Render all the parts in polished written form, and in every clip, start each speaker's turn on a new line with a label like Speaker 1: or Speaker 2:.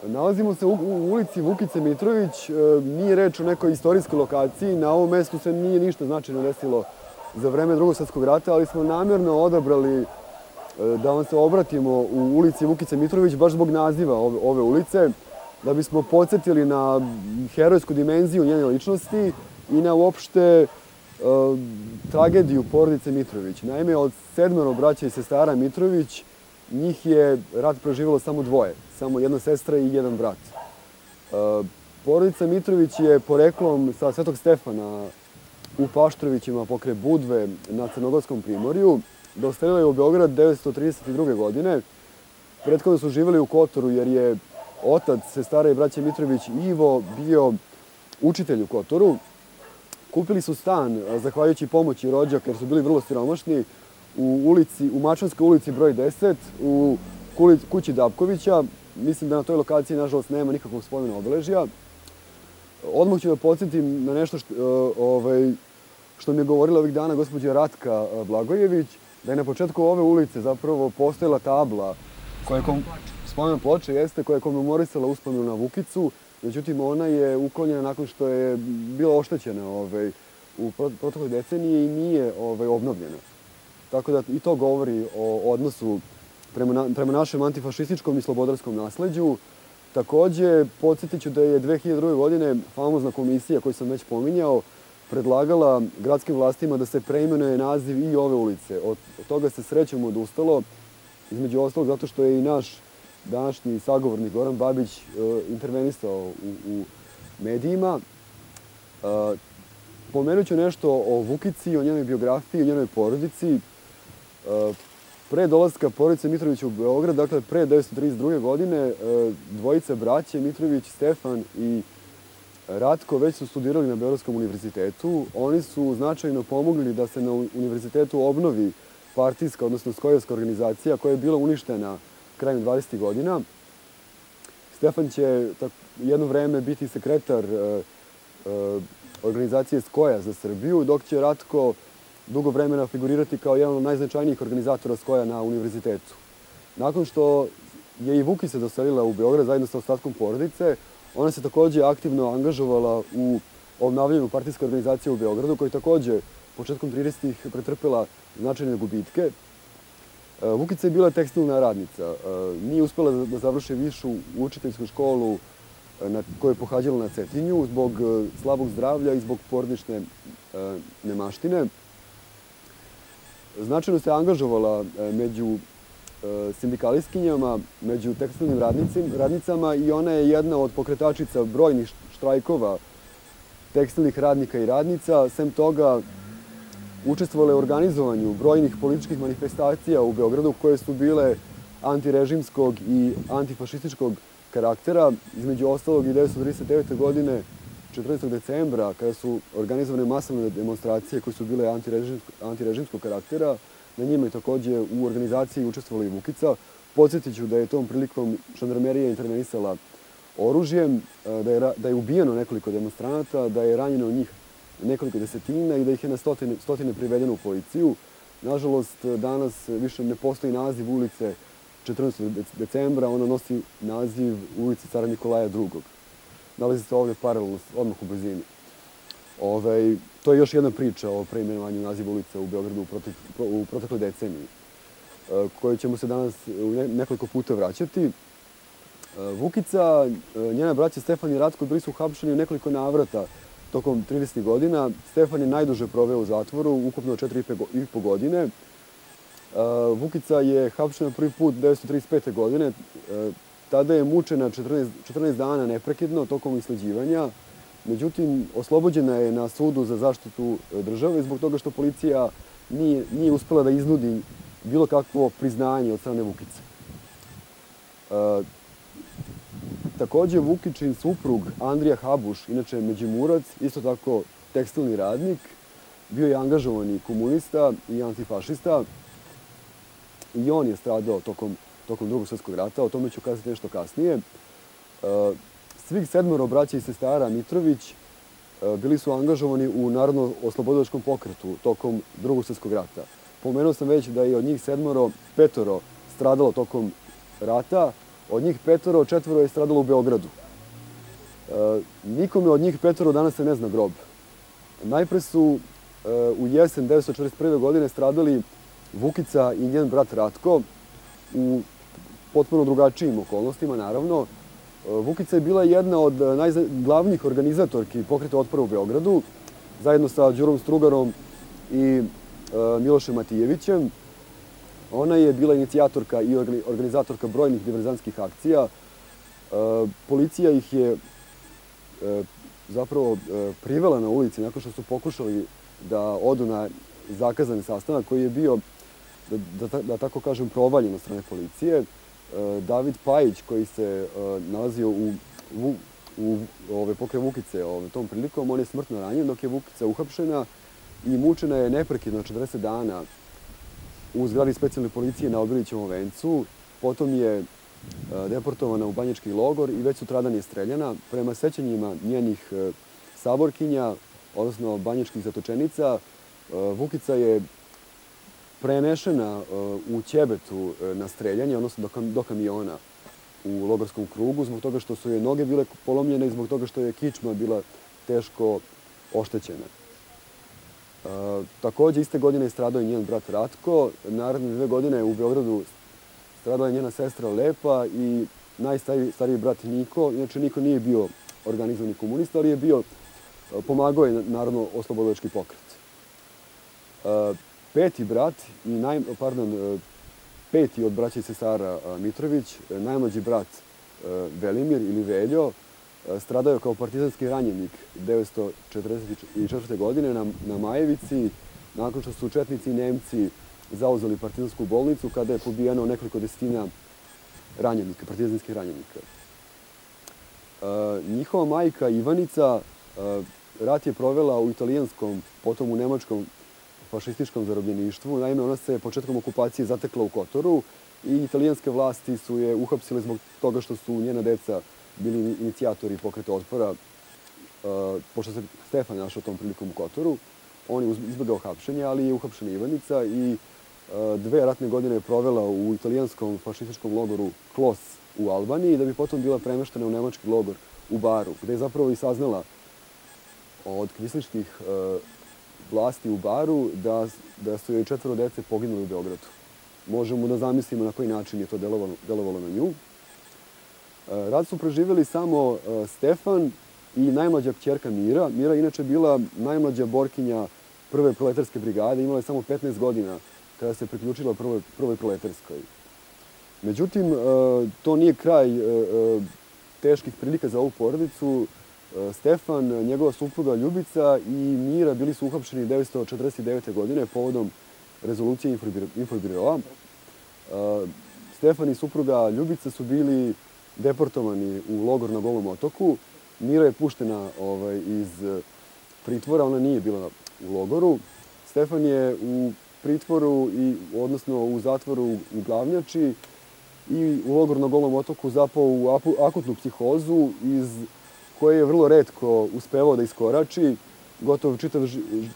Speaker 1: Nalazimo se u ulici Vukice Mitrović. Nije reč o nekoj istorijskoj lokaciji. Na ovom mestu se nije ništa značajno desilo za vreme Drugog svjetskog rata, ali smo namjerno odabrali da vam se obratimo u ulici Vukice Mitrović baš zbog naziva ove ulice, da bismo podsjetili na herojsku dimenziju njene ličnosti i na uopšte tragediju porodice Mitrović. Naime, od 7 braća i sestara Mitrović, njih je rat preživjelo samo 2, samo jedna sestra i jedan brat. Porodica Mitrović je poreklom sa Svetog Stefana u Paštrovićima pokraj Budve na Crnogorskom primorju. Doselila je u Beograd 1932. godine. Prethodno su živjeli u Kotoru jer je otac sestara i braće Mitrović Ivo bio učitelj u Kotoru. Kupili su stan, zahvaljujući pomoći rođaka, jer su bili vrlo siromašni, u Mačvanskoj ulici broj 10, u kući Dapkovića. Mislim da na toj lokaciji, nažalost, nema nikakvog spomena obeležja. Odmah ću da podsjetim na nešto što mi je govorila ovih dana gospođa Ratka Blagojević, da je na početku ove ulice zapravo postojala tabla, spomen ploče jeste, koja je komemorisala uspomenu na Vukicu. Međutim, ona je uklonjena nakon što je bila oštećena u protekloj deceniji i nije obnovljena. Tako da i to govori o odnosu prema našem antifašističkom i slobodarskom nasleđu. Takođe, podsjetit ću da je 2002. godine famozna komisija koju sam već pominjao predlagala gradskim vlastima da se preimenuje naziv i ove ulice. Od toga se srećom odustalo, između ostalog zato što je i naš današnji sagovornik Goran Babić intervenisao u medijima. Pomenut ću nešto o Vukici, o njenoj biografiji, o njenoj porodici. Pre dolaska porodice Mitrovića u Beograd, dakle pre 1932. godine, dvojica braće, Mitrović, Stefan i Ratko, već su studirali na Beogradskom univerzitetu. Oni su značajno pomogli da se na univerzitetu obnovi partijska, odnosno skojevska organizacija koja je bila uništena krajem 20. godina. Stefan će jedno vreme biti sekretar organizacije Skoja za Srbiju, dok će Ratko dugo vremena figurirati kao jedan od najznačajnijih organizatora Skoja na univerzitetu. Nakon što je i Vukica doselila u Beograd zajedno sa ostatkom porodice, ona se takođe aktivno angažovala u obnavljanju partijske organizacije u Beogradu, koja je takođe početkom 30-ih pretrpela značajne gubitke. Vukica je bila tekstilna radnica. Nije uspela da završi višu učiteljsku školu koju je pohađala na Cetinju zbog slabog zdravlja i zbog porodične nemaštine. Značajno se angažovala među sindikalistkinjama, među tekstilnim radnicama i ona je jedna od pokretačica brojnih štrajkova tekstilnih radnika i radnica. Sem toga, učestvovala je u organizovanju brojnih političkih manifestacija u Beogradu koje su bile antirežimskog i antifašističkog karaktera. Između ostalog i 1939. godine, 14. decembra, kada su organizovane masovne demonstracije koje su bile antirežimskog karaktera, na njima je takođe u organizaciji učestvovala i Vukica. Podsjetit ću da je tom prilikom žandarmerija intervenisala oružjem, da je ubijeno nekoliko demonstranata, da je ranjeno njih nekoliko desetina i da ih je na stotine privedeno u policiju. Nažalost, danas više ne postoji naziv ulice 14. decembra, ona nosi naziv ulice Cara Nikolaja II. Nalazi se ovdje paralelno, odmah u blizini. To je još jedna priča o preimenovanju naziva ulice u Beogradu u protekloj deceniji, koju ćemo se danas nekoliko puta vraćati. Vukica, njena braća Stefan i Ratko bili su uhapšeni u nekoliko navrata tokom 30. godina. Stefan je najduže proveo u zatvoru, ukupno 4,5 godine. Vukica je hapšena prvi put 1935. godine. Tada je mučena 14 dana neprekidno tokom isleđivanja. Međutim, oslobođena je na sudu za zaštitu države zbog toga što policija nije uspela da iznudi bilo kakvo priznanje od strane Vukice. Takođe, Vukičin suprug Andrija Habuš, inače Međimurac, isto tako tekstilni radnik, bio je angažovani komunista i antifašista i on je stradao tokom Drugog svjetskog rata, o tome ću kazati nešto kasnije. Svih 7 braća i sestara Mitrović bili su angažovani u Narodno-oslobodilačkom pokretu tokom Drugog svjetskog rata. Pomenuo sam već da je od njih 5 stradalo tokom rata, Od njih petoro, četvoro je stradalo u Beogradu. Nikome od njih petoro danas se ne zna grob. Najpre su u jesen 1941. godine stradali Vukica i njen brat Ratko u potpuno drugačijim okolnostima, naravno. Vukica je bila jedna od najglavnijih organizatorki pokreta otpora u Beogradu, zajedno sa Đurom Strugarom i Milošem Matijevićem. Ona je bila inicijatorka i organizatorka brojnih diverzantskih akcija. Policija ih je zapravo privela na ulici nakon što su pokušali da odu na zakazani sastanak koji je bio, da tako kažem, provaljen od strane policije. David Pajić, koji se nalazio pokraj Vukice tom prilikom, on je smrtno ranjen, dok je Vukica uhapšena i mučena je neprekidno 40 dana u zgradi specijalne policije na Obilićevom vencu. Potom je deportovana u banjički logor i već sutradan je streljana. Prema sećanjima njenih saborkinja, odnosno banjičkih zatočenica, Vukica je prenešena u Ćebetu na streljanje, odnosno do kamiona u logorskom krugu, zbog toga što su joj noge bile polomljene i zbog toga što je kičma bila teško oštećena. Takođe, iste godine je stradao i njen brat Ratko. Naredne 2 godine u Beogradu stradala je njena sestra Lepa i najstariji brat Niko. Inače, Niko nije bio organizovani komunista, ali je bio, pomagao je Narodno-oslobodilački pokret. Peti od braća i sestara Mitrović, najmlađi brat Velimir ili Veljo, stradao je kao partizanski ranjenik 1944. godine na Majevici, nakon što su četnici i Nemci zauzeli partizansku bolnicu, kada je pobijeno nekoliko desetina ranjenika, partizanskih ranjenika. Njihova majka Ivanica rat je provela u italijanskom, potom u nemačkom fašističkom zarobljeništvu. Naime, ona se početkom okupacije zatekla u Kotoru i italijanske vlasti su je uhapsile zbog toga što su njena deca bili inicijatori pokreta otpora, pošto se Stefan našao tom prilikom u Kotoru. On je izbegao hapšenje, ali je uhapšena Ivanica i 2 ratne godine je provela u italijanskom fašističkom logoru Klos u Albaniji, da bi potom bila premeštena u nemački logor u Baru, gde je zapravo i saznala od kvislinških vlasti u Baru da su joj 4 dece poginuli u Beogradu. Možemo da zamislimo na koji način je to delovalo na nju. Rat su preživjeli samo Stefan i najmlađa kćerka Mira. Mira je inače bila najmlađa borkinja prve proletarske brigade, imala je samo 15 godina kada se priključila prvoj proletarskoj. Međutim, to nije kraj teških prilika za ovu porodicu. Stefan, njegova supruga Ljubica i Mira bili su uhapšeni 1949. godine povodom rezolucije Infobiroa. Stefan i supruga Ljubica su bili deportovani u logor na Golom otoku. Mira je puštena iz pritvora, ona nije bila u logoru. Stefan je u pritvoru, odnosno u zatvoru u Glavnjači i u logor na Golom otoku zapao u akutnu psihozu iz koje je vrlo retko uspevao da iskorači.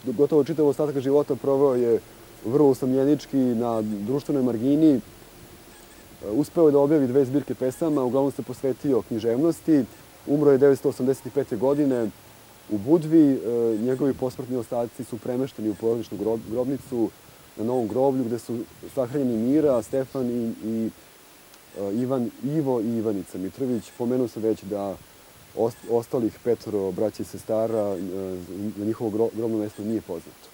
Speaker 1: Gotovo čitav ostatak života proveo je vrlo usamljenički na društvenoj margini. Uspeo je da objavi 2 zbirke pesama, uglavnom se posvetio književnosti. Umro je 1985. godine u Budvi. Njegovi posmrtni ostaci su premešteni u porodičnu grobnicu na Novom groblju, gde su sahranjeni Mira, Stefan i Ivo i Ivanica Mitrović. Pomenuo sam već da ostalih 5 braća i sestara, na njihovo grobno mesto nije poznato.